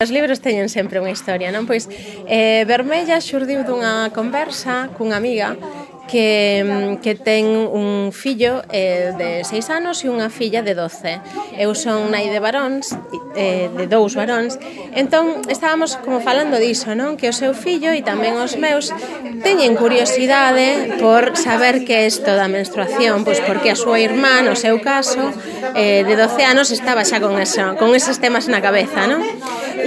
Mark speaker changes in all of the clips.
Speaker 1: Os libros teñen sempre unha historia, non? Pois Vermella xurdiu dunha conversa cunha amiga que ten un fillo de 6 anos e unha filla de 12. Eu son nai de varóns, de 2 varóns, entón estábamos como falando diso, non? Que o seu fillo e tamén os meus teñen curiosidade por saber que é isto da menstruación, pois porque a súa irmá, no seu caso, de 12 anos estaba xa con eses temas na cabeza, non?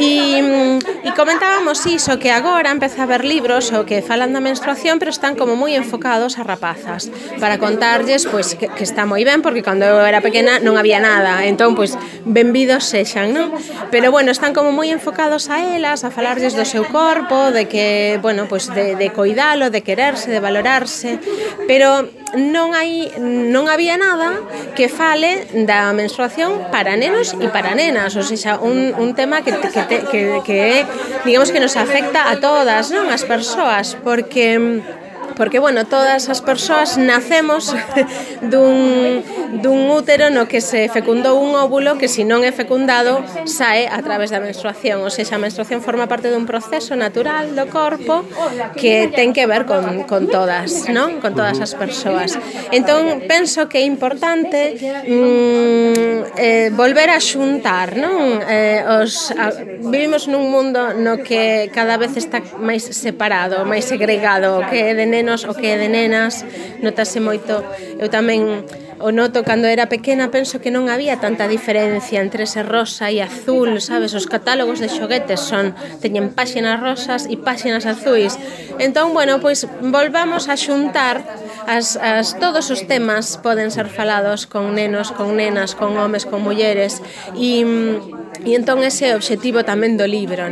Speaker 1: E comentábamos iso, que agora empeza a haber libros o que falan da menstruación, pero están como moi enfocados a rapazas, para contarlles pois que está moi ben, porque cando eu era pequena non había nada, entón pois benvidos sexan, non? Pero bueno, están como moi enfocados a elas, a falarlles do seu corpo, de que, bueno, pois de coidalo, de quererse, de valorarse, pero non había nada que fale da menstruación para nenos e para nenas, ou seja, un tema que é, digamos, que nos afecta a todas, non? As persoas, porque bueno, todas as persoas nacemos dun útero no que se fecundou un óvulo que, se non é fecundado, sae a través da menstruación. Ou seja, a menstruación forma parte dun proceso natural do corpo que ten que ver con todas, non? Con todas as persoas. Entón, penso que é importante volver a xuntar, non? Vivimos nun mundo no que cada vez está máis separado, máis segregado, o que é de nenos, o que é de nenas, notase moito. Eu tamén o noto cando era pequena, penso que non había tanta diferencia entre ese rosa e azul, sabes? Os catálogos de xoguetes teñen páxinas rosas e páxinas azuis. Entón, bueno, pois volvamos a xuntar todos os temas poden ser falados con nenos, con nenas, con homes, con mulleres, e entón ese é o obxectivo tamén do libro.